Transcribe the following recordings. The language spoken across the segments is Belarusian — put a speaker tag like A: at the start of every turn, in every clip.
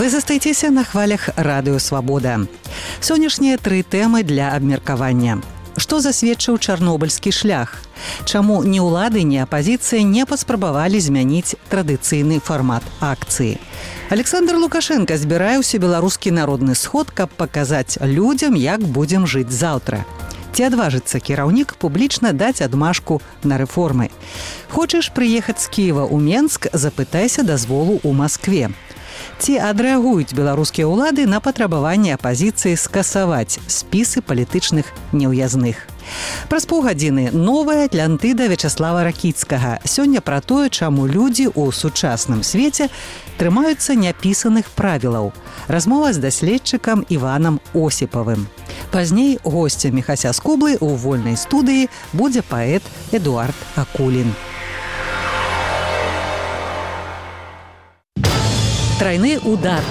A: Вы застаецеся на хвалях Радыё Свабода. Сённяшнія 3 тэмы для абмеркавання. Што засведчыў чарнобыльскі шлях? Чаму ні ўлады, ні апазіцыя не паспрабавалі змяніць традыцыйны фармат акцыі? Александр Лукашенко збірае ўсебеларускі народны сход, каб паказаць людзям, як будзем жыць заўтра. Ці адважыцца кіраўнік публічна даць адмашку на рэформы? Хочаш прыехаць з Кіева ў Менск, запытайся дазволу ў Маскве. Ці адрэагуюць беларускія ўлады на патрабаванне апазіцыі скасаваць спісы палітычных неўязных? Праз паўгадзіны новая атлантыда Вячаслава Ракіцкага. Сёння пра тое, чаму людзі ў сучасным свеце трымаюцца няпісаных правілаў. Размова з даследчыкам Іванам Осіпавым. Пазней госцем Міхася Скублы ў вольнай студыі будзе паэт Эдуард Акулін. Трайны удар.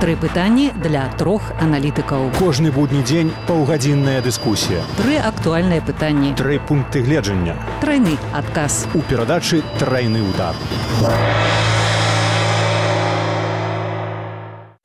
A: 3 пытанні для 3 аналітыкаў.
B: Кожны будні дзень паўгадзінная дыскусія.
A: 3 актуальныя пытанні.
B: 3 пункты гледжання.
A: Трайны адказ.
B: У перадачы «Трайны удар».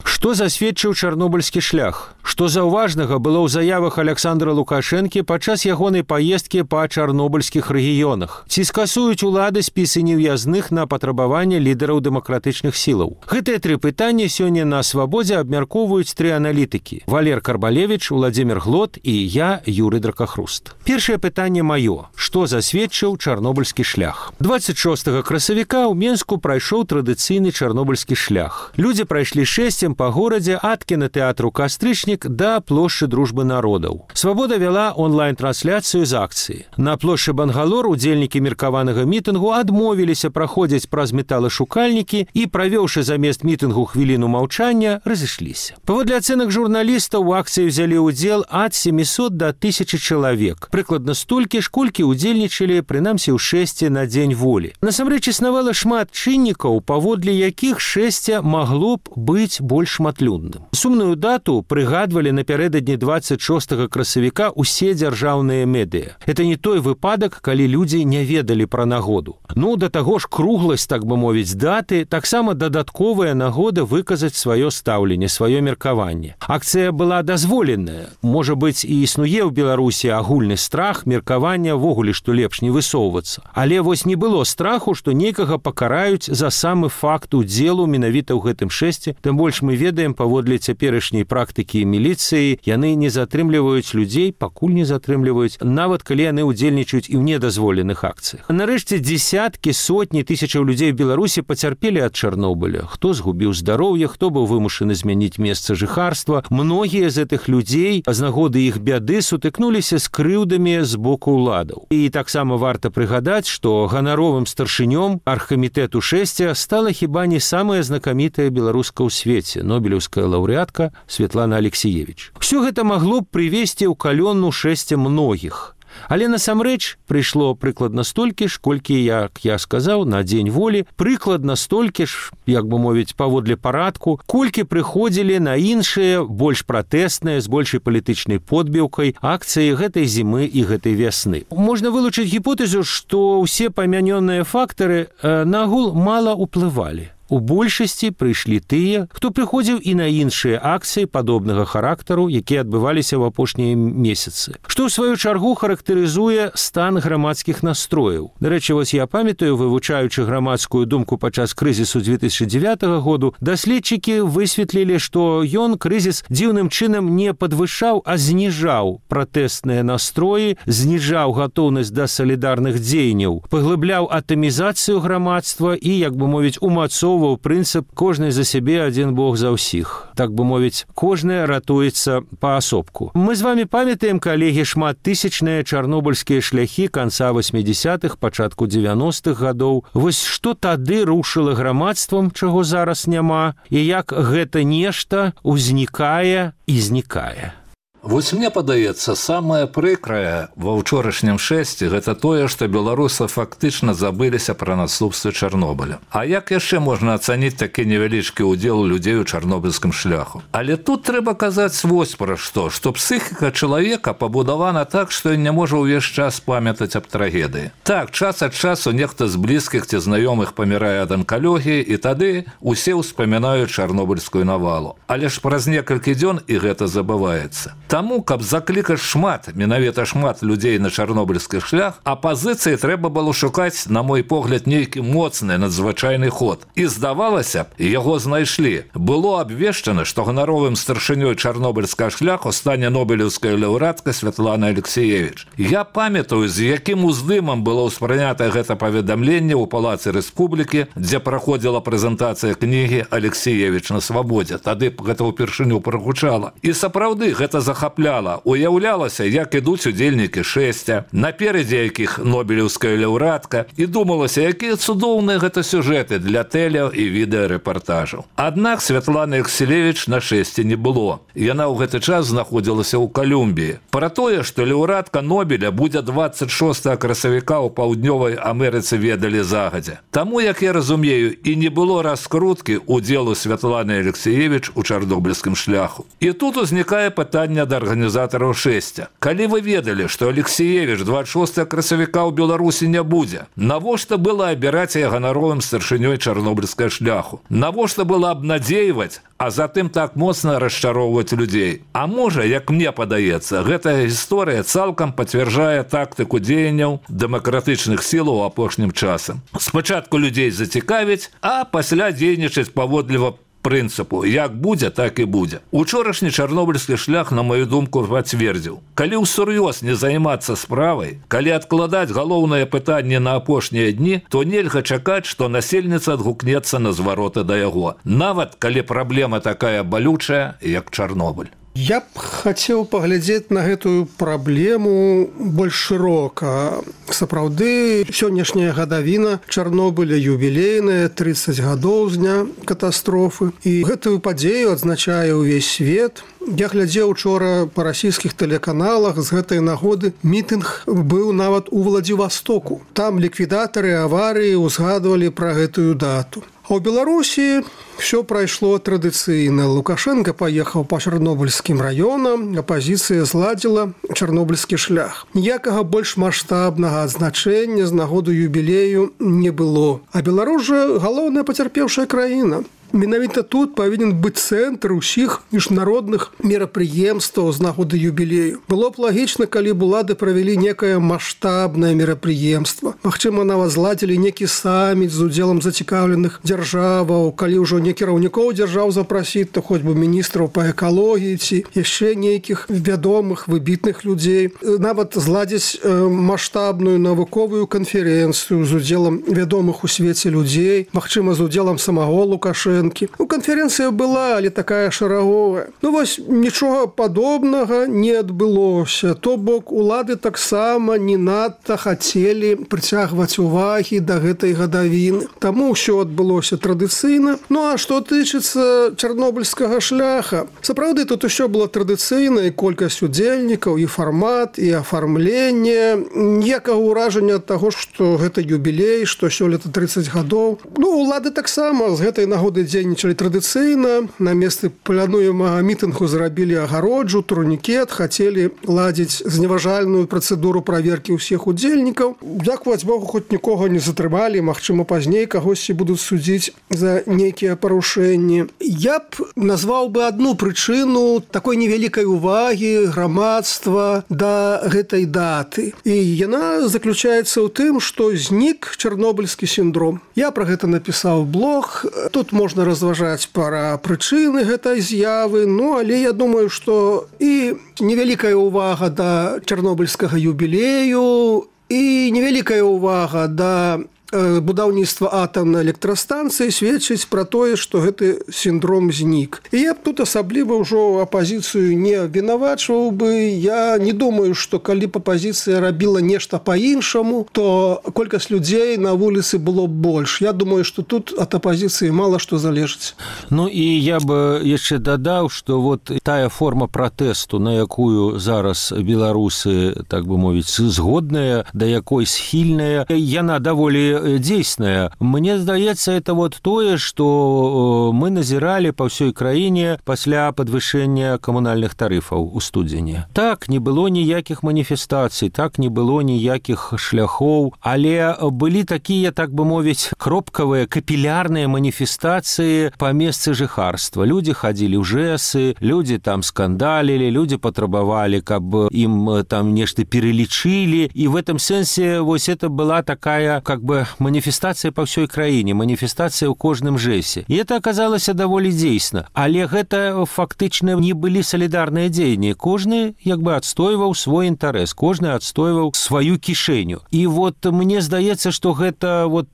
B: Што засведчыў чарнобыльскі шлях? Што заўважнага было ў заявах Александра Лукашэнкі падчас ягонай паездкі па чарнобыльскіх рэгіёнах? Ці скасуюць улады спісы неўязных на патрабаванне лідараў дэмакратычных сілаў? Гэтыя 3 пытанні сёння на Свабодзе абмяркоўваюць 3 аналітыкі: Валер Карбалевіч, Уладзімір Глот і я, Юрый Дракахруст. Першае пытанне маё. Што засведчыў чарнобыльскі шлях? 26 красавіка ў Менску прайшоў традыцыйны чарнобыльскі шлях. Людзі прайшлі шэсцем па горадзе ад кінатэатру «Кастрычнік» да плошчы Дружбы народаў. Свабода вяла онлайн-трансляцыю з акцыі. На плошчы Бангалор удзельнікі меркаванага мітынгу адмовіліся праходзіць праз металашукальнікі і, правёўшы замест мітынгу хвіліну маўчання, разышліся. Паводле ацэнак журналістаў, у акцыі взялі ўдзел ад 700 да 1000 чалавек. Прыкладна столькі ж, колькі удзельнічалі, прынамсі, ў шэсце на дзень волі. Насамрэч існавала шмат чыннікаў, паводле якіх шэсце магло б быць больш шматлюдным. Сумную дату прыгадвалі напярэдадні 26 красавіка ўсе дзяржаўныя медыа. Это не той выпадак, калі людзі не ведалі пра нагоду. Да таго ж кругласць, так бы мовіць, даты таксама дадатковая нагода выказаць сваё стаўленне, сваё меркаванне. Акцыя была дазволеная. Можа быць, і існуе ў Беларусі агульны страх, меркавання ввогуле, што лепш не высоўвацца. Але вось не было страху, што некага пакараюць за самы факт удзелу менавіта ў гэтым шэсце, тым больш мы ведаем, паводле цяперашняй практыкі міліцыі, яны не затрымліваюць людзей, пакуль не затрымліваюць, нават калі яны ўдзельнічаюць і ў недазволеных акцыях. Нарэшце, дзесяткі, сотні тысячаў людзей у Беларусі пацярпелі ад Чарнобыля. Хто згубіў здароўе, хто быў вымушаны змяніць месца жыхарства. Многія з гэтых людзей з нагоды іх бяды сутыкнуліся з крыўдамі з боку ўладаў. І таксама варта прыгадаць, што ганаровым старшынём аргкамітэту шэсця стала хіба не самая знакамітая беларуска ў свеце, нобелеўская лаўрэатка Светлана Алексіевіч. Усё гэта магло б прывесці ў калённу шэсце многіх. Але насамрэч прыйшло прыкладна столькі ж, колькі, як я сказаў, на дзень волі, прыкладна столькі ж, як бы мовіць, паводле парадку, колькі прыходзілі на іншыя, больш пратэсныя, з большай палітычнай подбіўкай акцыі гэтай зімы і гэтай вясны. Можна вылучыць гіпотэзу, што ўсе памянёныя фактары нагул мала ўплывалі. У большасці прыйшлі тыя, хто прыходзіў і на іншыя акцыі падобнага характару, якія адбываліся ў апошнія месяцы. Што, ў сваю чаргу, характарызуе стан грамадскіх настрояў. Дарэчы, вось я памятаю, вывучаючы грамадскую думку падчас крызісу 2009 году, даследчыкі высветлілі, што ён, крызіс, дзіўным чынам не падвышаў, а зніжаў пратэсныя настроі, зніжаў гатоўнасць да салідарных дзеянняў, паглыбляў атамізацыю грамадства і, як бы мовіць, умацоўваў прынцып «кожны за сябе, адзін Бог за ўсіх». Так бы мовіць, кожны ратуецца паасобку. Мы з вамі памятаем, калегі, шматтысячныя чарнобыльскія шляхі канца 80-х, пачатку 90-х гадоў. Вось што тады рушыла грамадствам, чаго зараз няма, і як гэта нешта ўзнікае і знікае.
C: Вось мне падаецца, самае прыкрае ва ўчорашнім шэсці гэта тое, што беларусы фактычна забыліся пра наступствы Чарнобыля. А як яшчэ можна ацаніць такі невялічкі ўдзел людзей у чарнобыльскім шляху? Але тут трэба казаць вось пра што псіхіка чалавека пабудавана так, што ён не можа ўвесь час памятаць аб трагедыі. Так, час ад часу нехта з блізкіх ці знаёмых памірае ад анкалогіі, і тады усе ўспамінаюць чарнобыльскую навалу. Але ж праз некалькі дзён і гэта забываецца. Таму, каб заклікаць менавіта шмат людзей на чарнобыльскі шлях, апазіцыі трэба было шукаць, на мой погляд, нейкі моцны надзвычайны ход. І здавалася б, яго знайшлі. Было абвешчана, што ганаровым старшынёй чарнобыльскага шляху стане нобелеўская лаўрэатка Святлана Алексіевіч. Я памятаю, з якім уздымам было ўспрынята гэта паведамленне ў Палацы Рэспублікі, дзе праходзіла прэзентацыя кнігі «Алексіевіч на свабодзе». Тады гэта ўпершыню прагучала. І сапраўды гэта захапляла. Уяўлялася, як ідуць удзельнікі шэсця, наперадзе якіх нобелеўская лаўрэатка, і думалася, якія цудоўныя гэта сюжэты для тэле- і відэарэпартажаў. Аднак Святланы Алексіевіч на шэсці не было. Яна ў гэты час знаходзілася ў Калумбіі. Пра тое, што лаўрэатка Нобеля будзе 26 красавіка ў Паўднёвай Амерыцы, ведалі загадзя. Таму, як я разумею, і не было раскруткі удзелу Святланы Алексіевіч у чарнобыльскім шляху. І тут узнікае пытанне да арганізатараў шэсця. Калі вы ведалі, што Алексіевіч 26 красавіка ў Беларусі не будзе, навошта было абіраць яе ганаровым старшынёй чарнобыльскага шляху? Навошта было абнадзейваць, а затым так моцна расчароўваць людзей? А можа, як мне падаецца, гэтая гісторыя цалкам пацвярджае тактыку дзеянняў дэмакратычных сілаў апошнім часам. Спачатку людзей зацікавіць, а пасля дзейнічаць паводліва прынцыпу, як будзе, так і будзе. Учорашні чарнобыльскі шлях, на маю думку, пацвердзіў. Калі ўсур'ёз не займацца справай, калі адкладаць галоўнае пытанне на апошнія дні, то нельга чакаць, што насельніца адгукнецца на звароты да яго. Нават калі праблема такая балючая, як Чарнобыль.
D: Я б хацеў паглядзець на гэтую праблему больш шырока. Сапраўды, сённяшняя гадавіна Чарнобыля юбілейная, 30 гадоў з дня катастрофы. І гэтую падзею адзначае ўвесь свет. Я глядзеў учора па расійскіх тэлеканалах, з гэтай нагоды мітынг быў нават у Владзівастоку. Там ліквідатары аварыі ўзгадвалі пра гэтую дату. А ў Беларусі все прайшло традыцыйна. Лукашенко паехаў па чарнобыльскім раёнам, апазіцыя зладзіла чарнобыльскі шлях. Ніякага больш маштабнага адзначэння з нагоды юбілею не было. А Беларусь жа галоўная пацярпеўшая краіна. Менавіта тут павінен быць цэнтр усіх міжнародных мерапрыемстваў з нагоды юбілею. Было б лагічна, калі б улады правялі некае маштабнае мерапрыемства. Магчыма, нават зладзілі некі саміт з удзелам зацікаўленых дзяржаваў, калі ўжо не кіраўнікоў дзяржаў запрасіць, то хоць бы міністраў па экалогіі ці яшчэ нейкіх вядомых, выбітных людзей. Нават зладзіць маштабную навуковую канферэнцыю з удзелам вядомых у свеце людзей, магчыма, з удзелам самого Лукашенка. Канферэнцыя была, але такая шараговая. Вось нічога падобнага не адбылося. То бок улады таксама не надта хацелі прыцягваць увагі да гэтай гадавіны. Таму ўсё адбылося традыцыйна. А што тычыцца чарнобыльскага шляха, сапраўды тут усё было традыцыйна, і колькасць удзельнікаў, і фармат, і афармленне. Ніякага ўражання ад таго, што гэта юбілей, што сёлета 30 гадоў. Улады таксама з гэтай нагоды дзейнічалі традыцыйна. На месцы плануемага мітынгу зрабілі агароджу, турнікет, хацелі ладзіць зневажальную працэдуру праверкі ўсіх удзельнікаў. Дзякуваць Богу, хоць нікога не затрымалі, магчыма, пазней кагосьці будуць судзіць за нейкія парушэнні. Я б назваў бы адну прычыну такой невялікай увагі грамадства да гэтай даты. І яна заключаецца ў тым, што знік чарнобыльскі сіндром. Я пра гэта напісаў блог. Тут можна разважаць пра прычыны гэтай з'явы, але я думаю, што і невялікая ўвага да чарнобыльскага юбілею, і невялікая ўвага да будаўніцтва атамнай электрастанцыі сведчыць пра тое, што гэты сіндром знік. І я б тут асабліва ўжо апазіцыю не вінавачваў бы. Я не думаю, што калі б апазіцыя рабіла нешта па-іншаму, то колькасць людзей на вуліцы было больш. Я думаю, што тут ад апазіцыі мала што залежыць.
B: Ну і я бы яшчэ дадаў, што вот тая форма пратэсту, на якую зараз беларусы, так бы мовіць, згодная, да якой схільная, яна даволі дзейсная. Мне здаецца, это вот тое, што мы назіралі па ўсёй краіне пасля падвышэння камунальных тарыфаў у студзені. Так, не было ніякіх маніфестацый, так, не было ніякіх шляхоў, але былі такія, так бы мовіць, кропкавыя, капілярныя маніфестацыі па месцы жыхарства. Людзі хадзілі ў жэсы, людзі там скандалілі, людзі патрабавалі, каб ім там нешта перелічылі. І в этом сэнсе вось это была такая, как бы, маніфестацыя па ўсёй краіне, маніфестацыя ў кожным жэсе. І это аказалася даволі дзейсна. Але гэта фактычна не былі салідарныя дзеянні. Кожны, як бы, адстойваў свой інтарэс, кожны адстойваў сваю кішэню. І вот мне здаецца, што гэта вот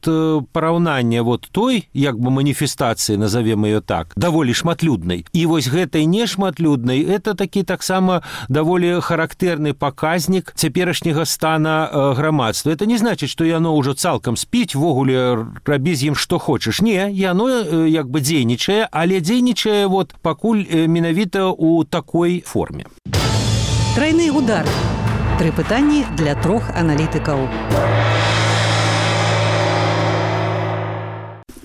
B: параўнанне вот той, як бы, маніфестацыі, назовем ее так, даволі шматлюднай. І вось гэтай нешматлюднай, это такі таксама даволі характэрны паказнік цяперашняга стана грамадства. Это не значыць, што яно ўжо цалкам спіць, ввогуле рабі з ім што хочаш. Не, яно як бы дзейнічае, але дзейнічае вот пакуль менавіта ў такой форме.
A: Тройны удар. 3 пытанні для 3 аналітыкаў.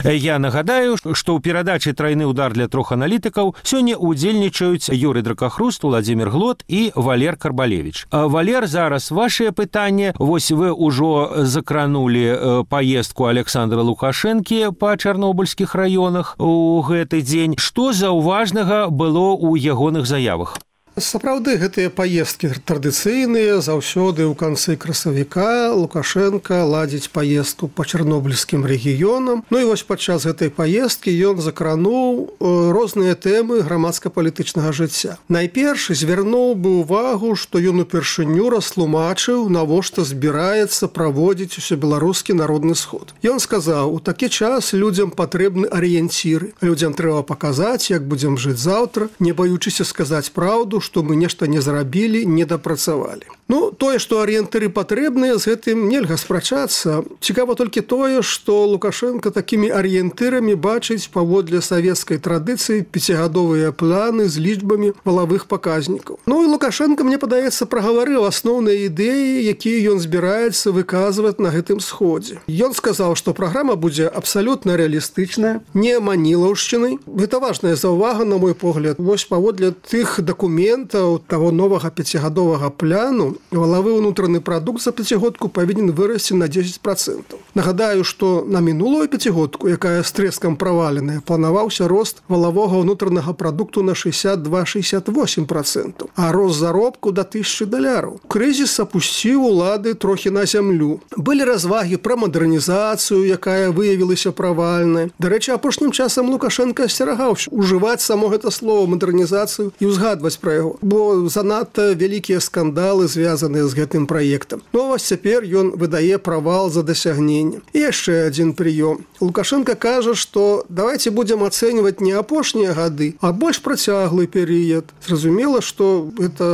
B: Я нагадаю, што ў перадачы «Тройны удар» для 3 аналітыкаў сёння удзельнічаюць Юрый Дракахруст, Владзімір Глот і Валер Карбалевіч. Валер, зараз вашее пытанне. Вось вы ўжо закранулі паездку Александра Лукашэнкі па чарнобыльскіх раёнах у гэты дзень. Што заўважнага было ў ягоных заявах?
D: Сапраўды, гэтыя паездкі традыцыйныя. Заўсёды ў канцы красавіка Лукашенко ладзіць паездку па чарнобыльскім рэгіёнам. Ну і вось падчас гэтай паездкі ён закрануў розныя тэмы грамадска-палітычнага жыцця. Найперш звярнуў бы ўвагу, што ён упершыню растлумачыў, навошта збіраецца праводзіць усебеларускі народны сход. Ён сказаў, у такі час людзям патрэбны арыенціры. Людзям трэба паказаць, як будзем жыць заўтра, не баючыся сказаць праўду, што мы нешта не зрабілі, не дапрацавалі. Ну, тое, што арыентыры патрэбныя, з гэтым нельга спрачацца. Цікава толькі тое, што Лукашенко такімі арыентырамі бачыць паводле савецкай традыцыі 5гадовыя планы з лічбамі валавых паказнікаў. Ну і Лукашенко, мне падаецца, прагаварыў асноўныя ідэі, якія ён збіраецца выказваць на гэтым сходзе. Ён сказаў, што праграма будзе абсалютна рэалістычная, не манілаўшчынай. Гэта важная заўвага, на мой погляд. Вось паводле тых дакументаў таго новага 5гадовага пляну валавы ўнутраны прадукт за 5гадку павінен вырасці на 10%. Нагадаю, што на мінулую 5гадку, якая з трэскам праваленая, планаваўся рост валавога ўнутранага прадукту на 62-68%, а рост заробку да $1000. Крызіс апусціў улады трохі на зямлю. Былі развагі пра мадэрнізацыю, якая выявілася правальнай. Дарэчы, апошнім часам Лукашенко асцерагаўся ужываць само гэта слово мадэрнізацыю і ўзгадваць пра яго, бо занадта вялікія скандалы звязаныя з гэтым праектам. Ну, вось цяпер ён выдае правал за дасягненне. І яшчэ адзін прыём. Лукашенко кажа, што давайте будзем ацэньваць не апошнія гады, а больш працяглы перыяд. Зразумела, што гэта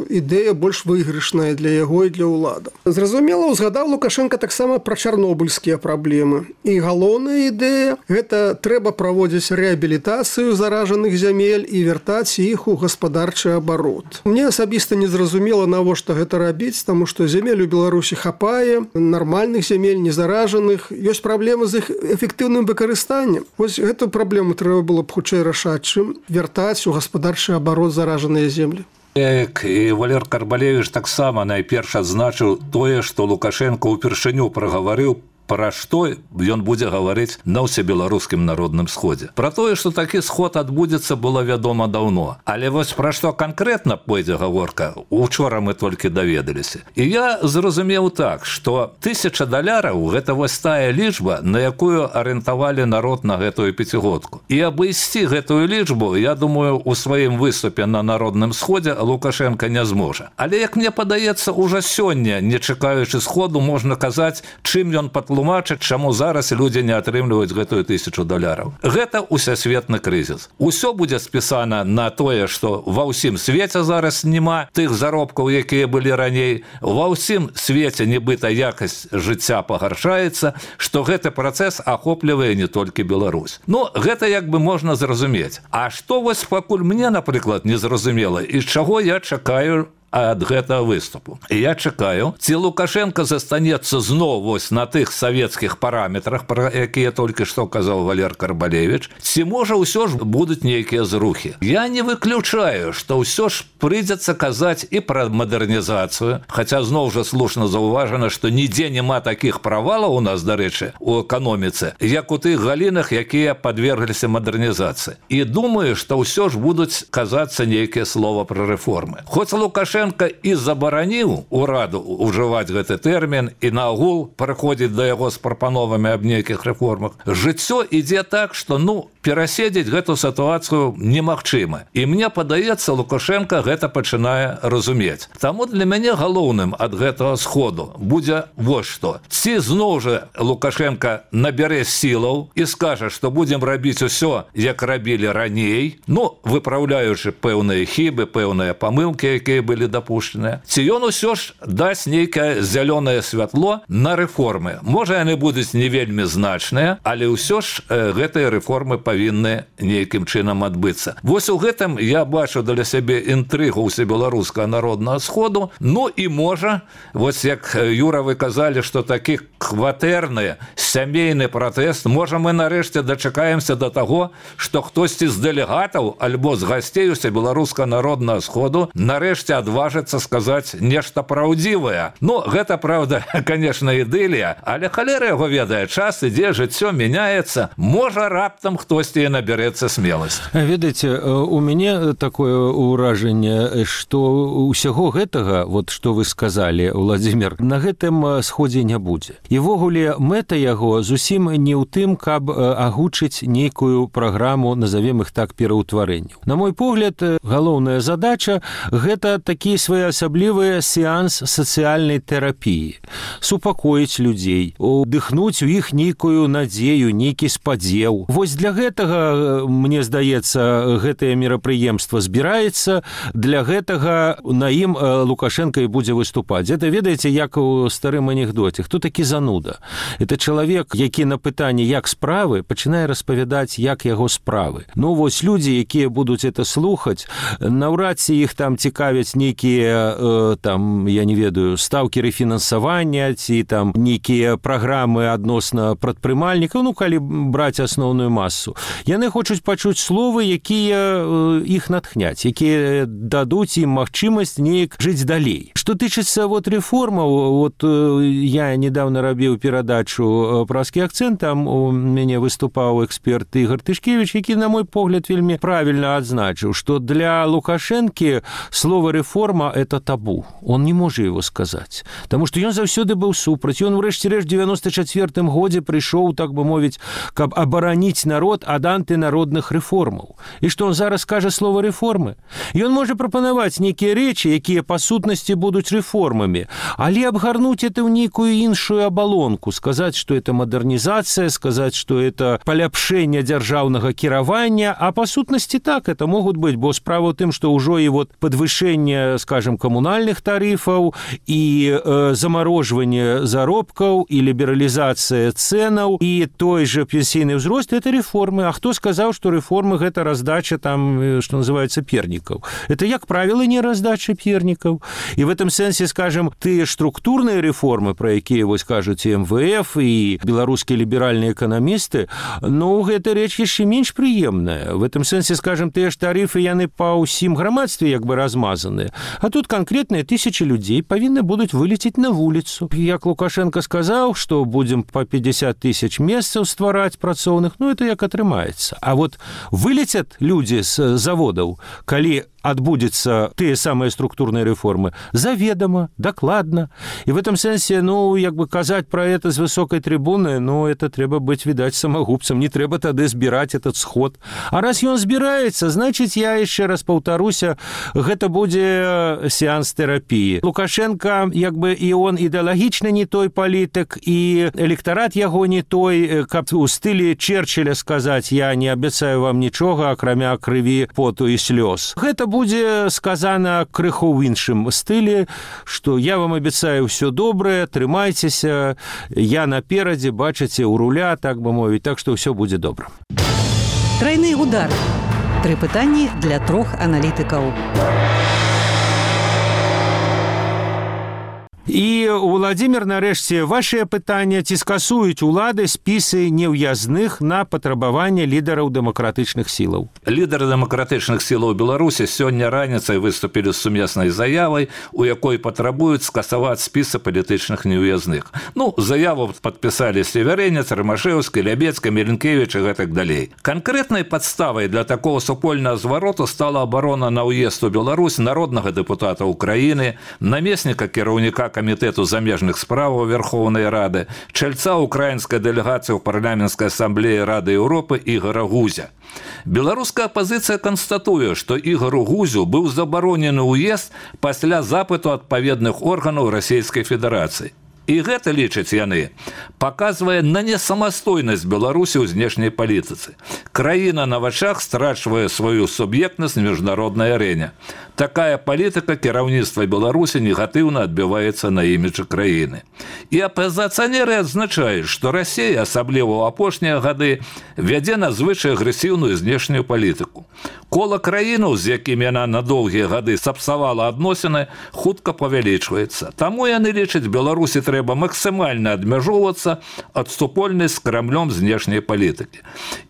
D: ідэя больш выйгрышная для яго і для ўлада. Зразумела, узгадаў Лукашенко таксама пра чарнобыльскія праблемы. І галоўная ідэя – гэта трэба праводзіць рэабілітацыю заражаных зямель і вяртаць іх у гаспадарчы абарот. Мне асабіста не зразумела, навошта гэта рабіць, таму што зямель у Беларусі хапае, нармальных зямель, незаражаных. Ёсць праблемы з іх эфектыўным выкарыстаннем. Вось гэту праблему трэба было б хутчэй рашаць, чым вяртаць у гаспадарчы абарот заражаныя землі.
C: І Валер Карбалевіч таксама найперш адзначыў тое, што Лукашенко ўпершыню прагаварыў пра што ён будзе гаварыць на ўсебеларускім народным сходзе. Пра тое, што такі сход адбудзецца, было вядома даўно. Але вось пра што канкрэтна пойдзе гаворка, учора мы толькі даведаліся. І я зразумеў так, што $1000 гэта вось тая лічба, на якую арыентавалі народ на гэтую 5гадку. І абысці гэтую лічбу, я думаю, у сваім выступе на народным сходзе Лукашенко не зможа. Але, як мне падаецца, ужо сёння, не чакаючы сходу, можна казаць, чым ён патлумачыў тлумачыць, чаму зараз людзі не атрымліваюць гэтую $1000. Гэта усесветны крызіс. Усё будзе спісана на тое, што ва ўсім свеце зараз няма тых заробкаў, якія былі раней. Ва ўсім свеце нібыта якасць жыцця пагаршаецца, што гэты працэс ахоплівае не толькі Беларусь. Гэта як бы можна зразумець. А што вось пакуль мне, напрыклад, не зразумела, і чаго я чакаю ад гэтага выступу. Я чакаю, ці Лукашенко застанецца зноў вось на тых савецкіх параметрах, пра якія толькі што казаў Валер Карбалевіч, ці можа ўсё ж будуць нейкія зрухі. Я не выключаю, што ўсё ж прыйдзецца казаць і пра мадэрнізацыю, хаця зноў жа слушна заўважана, што нідзе няма такіх правалаў у нас, дарэчы, у эканоміцы, як у тых галінах, якія падвергліся мадэрнізацыі. І думаю, што ўсё ж будуць казацца нейкія слова пра рэформы. Хоць Лукашенко і забараніў ураду ўжываць гэты тэрмін і наогул прыходзіць да яго з прапановамі аб нейкіх рэформах. Жыццё ідзе так, што пераседзець гэту сітуацыю немагчыма. І мне падаецца, Лукашенко гэта пачынае разумець. Таму для мяне галоўным ад гэтага сходу будзе вось што. Ці зноў жа Лукашенко набярэ сілаў і скажа, што будзем рабіць усё, як рабілі раней, выпраўляючы пэўныя хібы, пэўныя памылкі, якія былі дапушчаныя. Ці ён усё ж дасць нейкае зялёнае святло на рэформы. Можа, яны будуць не вельмі значныя, але ўсё ж гэтыя рэформы павінны нейкім чынам адбыцца. Вось у гэтым я бачу для сябе інтрыгу ўсебеларускага народнага сходу. І можа, вось як Юра, вы казалі, што такі кватэрны сямейны пратэст, можа, мы нарэшце дачакаемся да таго, што хтосьці з дэлегатаў альбо з гасцей усебеларускага народнага сходу нарэшце адважыцца сказаць нешта праўдзівае. Гэта, правда, конечно, ідылія, але халера яго ведае, час ідзе, жыццё мяняецца, можа, раптам хтосьці набярэцца смеласць.
B: Ведаеце, у мяне такое ўражанне, што ўсяго гэтага, вот што вы сказалі, Владзімир, на гэтым сходзе не будзе. І ввогуле мэта яго зусім не ў тым, каб агучыць нейкую праграму, назовем іх так, пераўтварэнняў. На мой погляд, галоўная задача – гэта такі своеасаблівы сеанс сацыяльнай тэрапіі. Супакоіць людзей, удыхнуць у іх нейкую надзею, нейкі спадзеў. Вось для гэтага, мне здаецца, гэтае мерапрыемства збіраецца, для гэтага на ім Лукашенко і будзе выступаць. Это, ведаеце, як у старым анекдоце. Хто такі зануда? Это чалавек, які на пытанне «як справы?» пачынае распавядаць, як яго справы. Вось людзі, якія будуць это слухаць, наўрад ці іх там цікавяць нейкія, я не ведаю, стаўкі рэфінансавання ці там нейкія праграмы адносна прадпрымальнікаў, калі браць асноўную масу. Яны хочуць пачуць словы, якія іх натхняць, якія дадуць ім магчымасць неяк жыць далей. Што тычыцца рэформаў, я недавно рабіў перадачу «Праскі акцэнт», там у мяне выступаў эксперт Ігор Тышкевич, які, на мой погляд, вельмі правільна адзначыў, што для Лукашэнкі слово «реформа» – это табу. Он не можа его сказаць. Таму што ён заўсёды быў супраць. Ён, урэшце рэшт, у 94-м годзе прыйшоў, так бы мовіць, каб абараніць народ ад антынародных рэформаў. І што он зараз кажа слово «рэформы»? Ён можа прапанаваць нейкія рэчы, якія па сутнасці будуць рэформамі, але абгарнуць это ў нейкую іншую абалонку, сказаць, што это мадэрнізацыя, сказаць, што это паляпшэнне дзяржаўнага кіравання, а па сутнасці так это могуць быць, бо справа ў тым, што ўжо і падвышэнне, скажем, камунальных тарыфаў, і замарожванне заробкаў, і лібералізацыя цэнаў, і той же пенсійны ўзрост – это рэформы. А хто сказаў, што рэформы – гэта раздача там, што называецца, пернікаў? Это, як правіла, не раздача пернікаў. І в этом сэнсе, скажем, тыя структурныя рэформы, пра якія вось кажуць і МВФ, і беларускія ліберальныя эканамісты, гэта рэч яшчэ менш прыемная. В этом сэнсе, скажем, тыя ж тарыфы, яны па ўсім грамадстве як бы размазаныя. А тут канкрэтныя тысячы людзей павінны будуць вылецець на вуліцу. Як Лукашенко сказаў, што будзем па 50 тысяч месцаў ствараць працоўных, это як атрымаецца. А вылецяць людзі з заводаў, калі адбудзецца тыя самыя структурныя рэформы, заведома, дакладна. І в этом сэнсе, казаць пра это з высокай трыбуны, это трэба быць, відаць, самагубцам, не трэба тады збіраць этот сход. А раз ён збіраецца, значыць, я яшчэ раз паўтаруся, гэта будзе сеанс тэрапіі. Лукашенко, і он ідэалагічна не той палітык, і электарат яго не той, каб у стылі Черчилля сказаць, я не абяцаю вам нічога, акрамя крыві, поту і слёз. Гэта будзе сказана крыху ў іншым стылі, што я вам абяцаю ўсё добрае, трымайцеся, я наперадзе, бачыце, у руля, так бы мовіць, так што ўсё будзе добра.
A: Тройны удар. 3 пытанні для 3 аналітыкаў.
B: І, Владзімір, нарэшце, вашыя пытання, ці скасуюць улады спісы неўязных на патрабаванне лідараў дэмакратычных сілаў?
C: Лідары дэмакратычных сілаў Беларусі сёння раніцай выступілі з сумеснай заявай, у якой патрабуюць скасаваць спісы палітычных неўязных. Заяву падпісалі Северэнец, Рымашэўскі, Лябецкі, Меленкевіч і гэтак далей. Канкрэтнай падставай для такого супольнага звароту стала абарона на ўезд у Беларусь народнага дэпутата Украіны, намесніка кіраўніка Камітэту замежных справаў Верховнай Рады, чальца украінскай дэлегацыі ў парламенцкай асамблеі Рады Еўропы Ігора Гузя. Беларуская апазіцыя канстатуе, што Ігору Гузю быў забаронены ўезд пасля запыту адпаведных органаў Расійскай Федэрацыі. І гэта, лічаць яны, паказвае на несамастойнасць Беларусі ў знешняй палітыцы. Краіна на вачах страчвае сваю суб'ектнасць на міжнароднай арэне. Такая палітыка кіраўніцтва Беларусі негатыўна адбіваецца на іміджы краіны. І апазіцыянеры адзначаюць, што Расія, асабліва ў апошнія гады, вядзе надзвычай агрэсіўную знешнюю палітыку. Кола краінаў, з якімі яна на доўгія гады сапсавала адносіны, хутка павялічваецца. Таму яны лічаць, Беларусі трэба максімальна адмяжоўвацца ад супольнай з Крамлём знешняй палітыкі.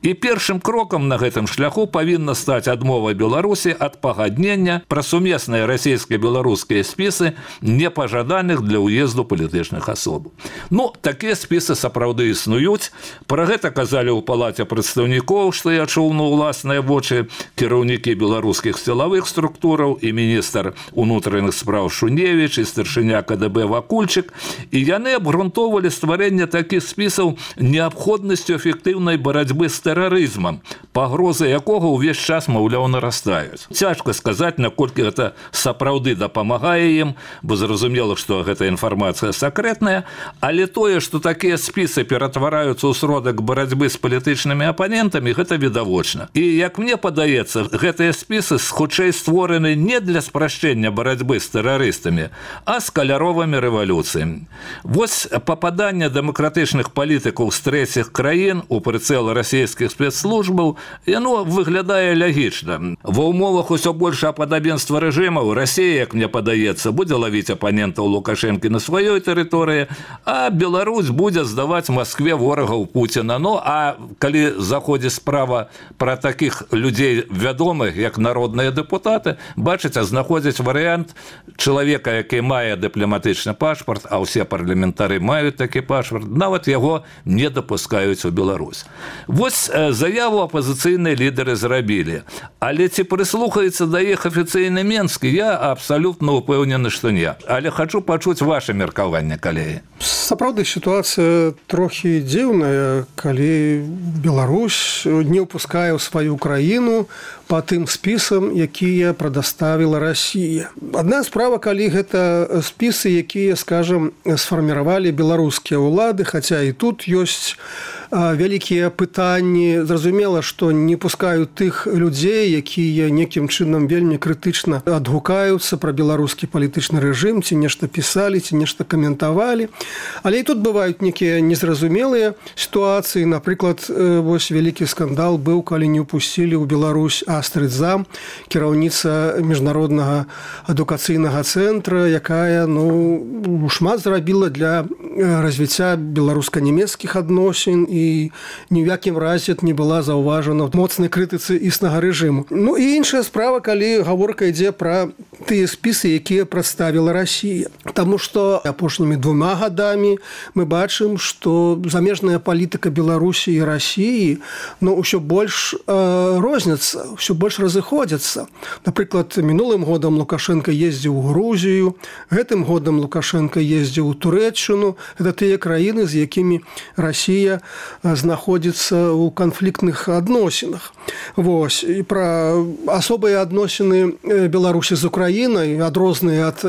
C: І першым крокам на гэтым шляху павінна стаць адмова Беларусі ад пагаднення пра сумесныя расійска-беларускія спісы непажаданых для ўезду палітычных асоб. Такія спісы сапраўды існуюць. Пра гэта казалі ў палаце прадстаўнікоў, што я чуў на ўласныя вочы, кіраўнікі беларускіх сілавых структураў і міністр унутраных спраў Шуневіч і старшыня КДБ Вакульчык, і яны абгрунтоўвалі стварэнне такіх спісаў неабходнасцю эфектыўнай барацьбы з тэрарызмам, пагрозы якога ўвесь час, маўляў, нарастаюць. Цяжка сказаць, наколькі гэта сапраўды дапамагае ім, бо зразумела, што гэта інфармацыя сакрэтная, але тое, што такія спісы ператвараюцца ў сродак барацьбы з палітычнымі апанентамі, гэта відавочна. І, як мне падаецца, гэтыя спісы хутчэй створаны не для спрашчэння барацьбы з тэрарыстамі, а з каляровымі рэвалюцыямі. Вось пападанне дэмакратычных палітыкаў з трэціх краін у прыцэл расійскіх спецслужбаў, яно выглядае лягічна. Ва ўмовах усё больш падабенства рэжымаў Расія, як мне падаецца, будзе лавіць апанентаў Лукашэнкі на сваёй тэрыторыі, а Беларусь будзе здаваць Маскве ворагаў Пуціна. А калі заходзіць справа пра такіх людзей вядомых, як народныя дэпутаты, бачыце, знаходзіць варыянт чалавека, які мае дыпламатычны пашпарт, а ўсе парламентары маюць такі пашпарт, нават яго не дапускаюць у Беларусь. Вось заяву апазіцыйныя лідары зрабілі. Але ці прыслухаецца да іх афіцыйны Менскі, я абсалютна ўпэўнены, што не. Але хачу пачуць ваше меркаванне, калегі.
D: Сапраўды, сітуацыя трохі дзіўная, калі Беларусь не ўпускае ў сваю краіну па тым спісам, якія прадаставіла Расія. Адна справа, калі гэта спісы, якія, скажам, сфарміравалі беларускія ўлады, хаця і тут ёсць вялікія пытанні. Зразумела, што не пускаюць тых людзей, якія некім чынам вельмі крытычна адгукаюцца пра беларускі палітычны рэжым, ці нешта пісалі, ці нешта каментавалі. Але і тут бываюць некія незразумелыя сітуацыі. Напрыклад, вось вялікі скандал быў, калі не ўпусцілі ў Беларусь Астрыд Зам, кіраўніца міжнароднага адукацыйнага цэнтра, якая шмат зрабіла для развіцця беларуска-нямецкіх адносін і ні ў якім разе не была заўважана в моцнай крытыцы існага рэжыму. І іншая справа, калі гаворка ідзе пра тыя спісы, якія прадставіла Расія. Таму што апошнімі 2 гадамі мы бачым, што замежная палітыка Беларусі і Расіі ўсё больш розняцца, ўсё ўсё больш разыходзяцца. Напрыклад, мінулым годам Лукашенко ездзіў у Грузію, гэтым годам Лукашенко ездзіў у Турэччыну. Гэта тыя краіны, з якімі Расія знаходзіцца ў канфліктных адносінах. Вось. І пра асобыя адносіны Беларусі з Украінай, адрозныя ад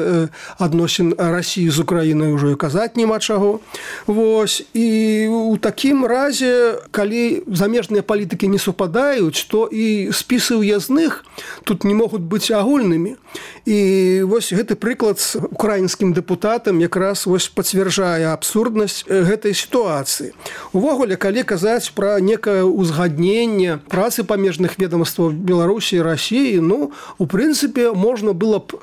D: адносін Расіі з Украінай ўжо і казаць няма чаго. Вось. І ў такім разе, калі замежныя палітыкі не супадаюць, то і спісы ўязных тут не могуць быць агульнымі. І вось гэты прыклад з украінскім дэпутатам якраз вось пацвярджае абсурднасць гэтай сітуацыі. Увогуле, калі казаць пра некае ўзгадненне працы памежных ведомстваў Беларусі і Расіі, у прынцыпе, можна было б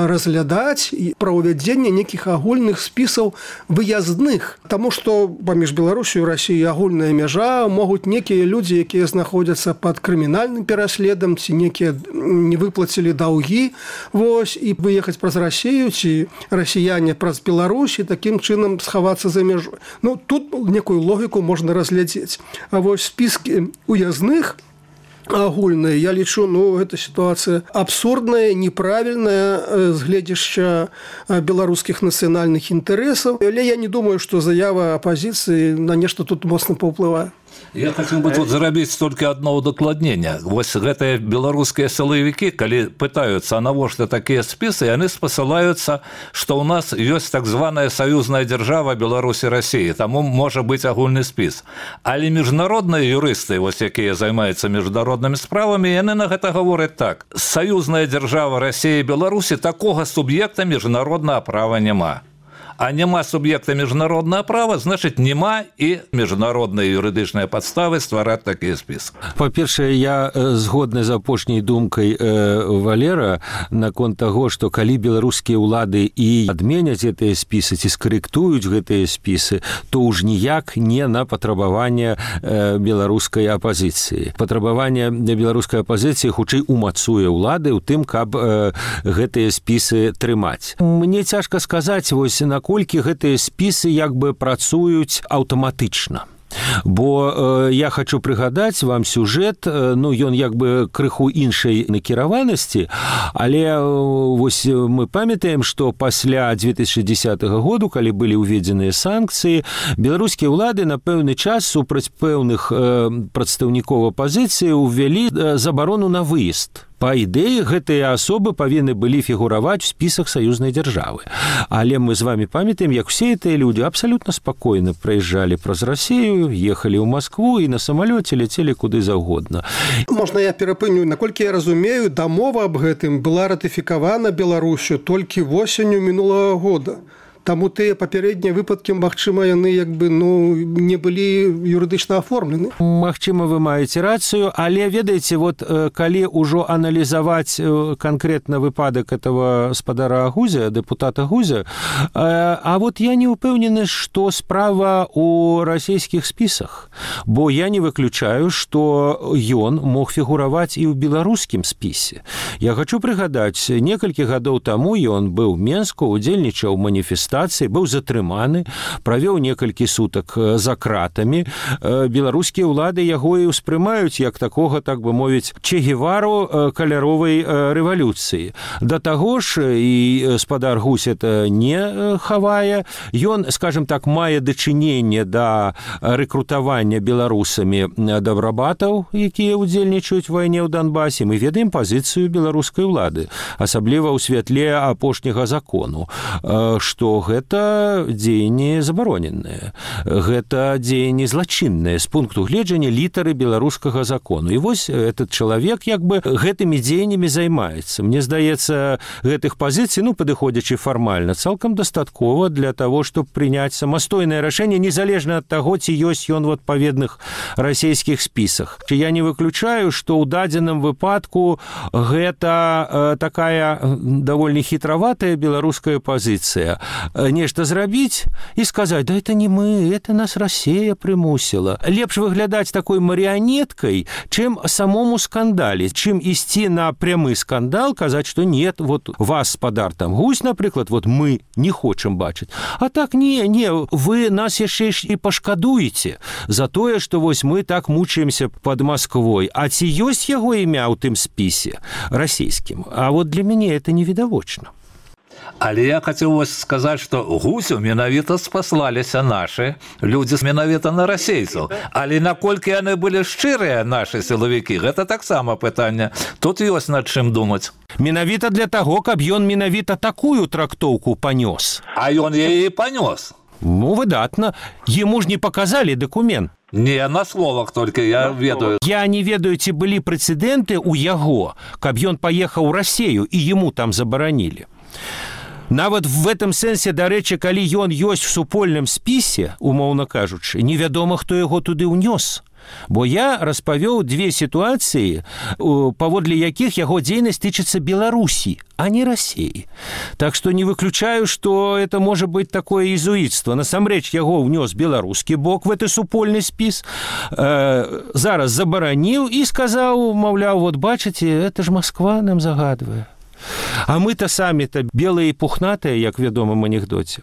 D: разглядаць пра ўвядзенне нейкіх агульных спісаў выязных. Таму што паміж Беларусю і Расіяй агульная мяжа, могуць некія людзі, якія знаходзяцца пад крымінальным пераследам, ці некія не выплацілі даўгі, вось, і выехаць праз Расію, ці расіяне праз Беларусь, і такім чынам схавацца за мяжой. Тут некую логіку можна разглядзець. А вось спіскі уязных агульныя, я лічу, гэта сітуацыя абсурдная, неправільная з гледзяшча беларускіх нацыянальных інтарэсаў. Але я не думаю, што заява апазіцыі на нешта тут моцна паўплывае.
C: Я хотел бы тут зрабіць только одно удакладнення. Вось гэтыя беларускія сілавікі, калі пытаюцца, а навошта такія спісы, яны спасылаюцца, што ў нас ёсць так званая саюзная дзяржава Беларусі Расіі, таму можа быць агульны спіс. Але міжнародныя юрысты, вось якія займаюцца міжнароднымі справамі, яны на гэта гавораць так: саюзная дзяржава Расіі і Беларусі, такога суб'екта міжнароднага права няма. А няма суб'екта міжнароднага права, значыць, няма і міжнародныя юрыдычныя падставы ствараць такі спіс.
B: Па-першае, я згодны з апошняй думкай Валера наконт таго, што калі беларускія ўлады і адменяць гэтыя спісы ці скарэктуюць гэтыя спісы, то ўж ніяк не на патрабаванне беларускай апазіцыі. Патрабаванне беларускай апазіцыі хутчэй умацуе ўлады ў тым, каб гэтыя спісы трымаць. Мне цяжка сказаць, вось наколькі гэтыя спісы як бы працуюць аўтаматычна. Бо я хочу прыгадаць вам сюжэт, ён як бы крыху іншай накіраванасці, але вось мы памятаем, што пасля 2010 году, калі былі ўведзеныя санкцыі, беларускія ўлады на пэўны час супраць пэўных прадстаўнікоў апазіцыі ўвялі забарону на выезд. Па ідэі, гэтыя асобы павінны былі фігураваць у спісах саюзнай дзяржавы. Але мы з вами памятаем, як усе гэтыя людзі абсалютна спакойна праязджалі праз Расію, ехалі ў Маскву і на самалёце ляцелі куды заўгодна.
D: Можна я перапыню? Наколькі я разумею, дамова аб гэтым была ратыфікавана Беларусю толькі восенню мінулага года. Таму тыя папярэднія выпадкі, магчыма, яны не былі юрыдычна аформлены.
B: Магчыма, вы маеце рацыю, але ведаеце, калі ўжо аналізаваць канкрэтна выпадак этого спадара Гузя, дэпутата Гузя, я не ўпэўнены, што справа ў расійскіх спісах, бо я не выключаю, што ён мог фігураваць і ў беларускім спісе. Я хочу прыгадаць, некалькі гадоў таму ён быў у Менску, удзельнічаў у маніфестацыі, быў затрыманы, правёў некалькі сутак за кратамі. Беларускія ўлады яго і ўспрымаюць як такога, так бы мовіць, Че Гевару каляровай рэвалюцыі. Да таго ж, і спадар Гусь это не хавае, ён, скажем так, мае дачыненне да рэкрутавання беларусамі добрабатаў, якія ўдзельнічаюць у вайне ў Донбасе. Мы ведаем пазіцыю беларускай улады, асабліва ў святле апошняга закону, што гэта дзеянне забароненае, гэта дзеянне злачыннае з пункту гледжання літары беларускага закону. І вось этот чалавек як бы гэтымі дзеяннямі займаецца. Мне здаецца, гэтых пазіцый, падыходзячы фармальна, цалкам дастаткова для того, чтобы прыняць самастойнае рашэнне, незалежна ад таго, ці ёсць ён у адпаведных расійскіх спісах. Я не выключаю, што ў дадзеным выпадку гэта такая даволі хітраватая беларуская пазіцыя. нешта зрабіць і сказаць: да это не мы, это нас Россия прымусила. Лепш выглядаць такой марионеткой, чым самому скандале, чым ісці на прямы скандал, казаць, что нет, вот вас, спадар там Гусь, напрыклад, вот мы не хочам бачыць. А так не, вы нас яшчэ і пашкадуеце за тое, што вось мы так мучаемся под Москвой. А ці ёсць яго імя ў тым спісе расійскім? А вот для мяне это невідавочна.
C: Але я хацеў вось сказаць, што Гусю менавіта спаслаліся нашы людзі менавіта на расейцаў. Але наколькі яны былі шчырыя, нашы сілавікі, гэта таксама пытанне. Тут ёсць над чым думаць.
B: Менавіта для таго, каб ён менавіта такую трактоўку панёс.
C: А ён яе і панёс.
B: Ну, выдатна. Ему ж не показалі дакумент.
C: Не, на словах толькі, я ведаю.
B: Я не ведаю, ці былі прэцэдэнты ў яго, каб ён паехаў у Расею і ему там забаранілі. Нават в этом сэнсе, дарэчы, калі ён ёсць в супольным спісе, умоўна кажучы, невядома, хто яго туды ўнёс. Бо я распавёў две сітуацыі, паводле якіх яго дзейнасць тычыцца Беларусі, а не Расеі. Так што не выключаю, што это можа быць такое езуіцтва. Насамрэч яго ўнёс беларускі бок в гэты супольны спіс, зараз забараніў і сказаў, маўляў, вот бачыце, это ж Москва нам загадвае. А мы-то самі-то белыя і пухнатыя, як вядома в анекдоце.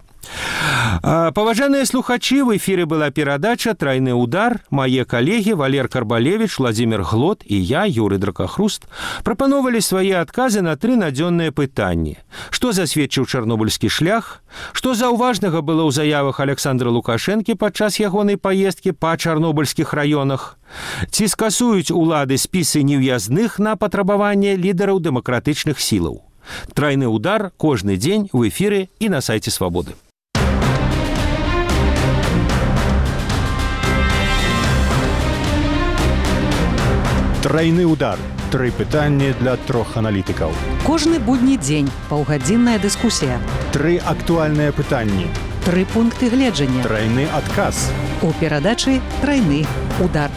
B: Паважаныя слухачы, в эфіры была перадача «Трайны удар». Мае калегі Валер Карбалевіч, Владзімир Глот і я, Юрый Дракахруст, прапановалі свае адказы на 3 надзённыя пытанні. Што засведчыў чарнобыльскі шлях? Што заўважнага было ў заявах Александра Лукашэнкі падчас ягонай паездкі па чарнобыльскіх раёнах? Ці скасуюць улады спісы нев'язных на патрабаванне лідараў дэмакратычных сілаў? «Трайны удар» кожны дзень в эфіры і на сайце Свабоды.
E: Трайны удар. 3 пытанні для 3 аналітыкаў.
A: Кожны будні дзень паўгадзінная дыскусія.
E: 3 актуальныя пытанні.
A: 3 пункты гледжання.
E: Трайны адказ.
A: У перадачы «Трайны удар».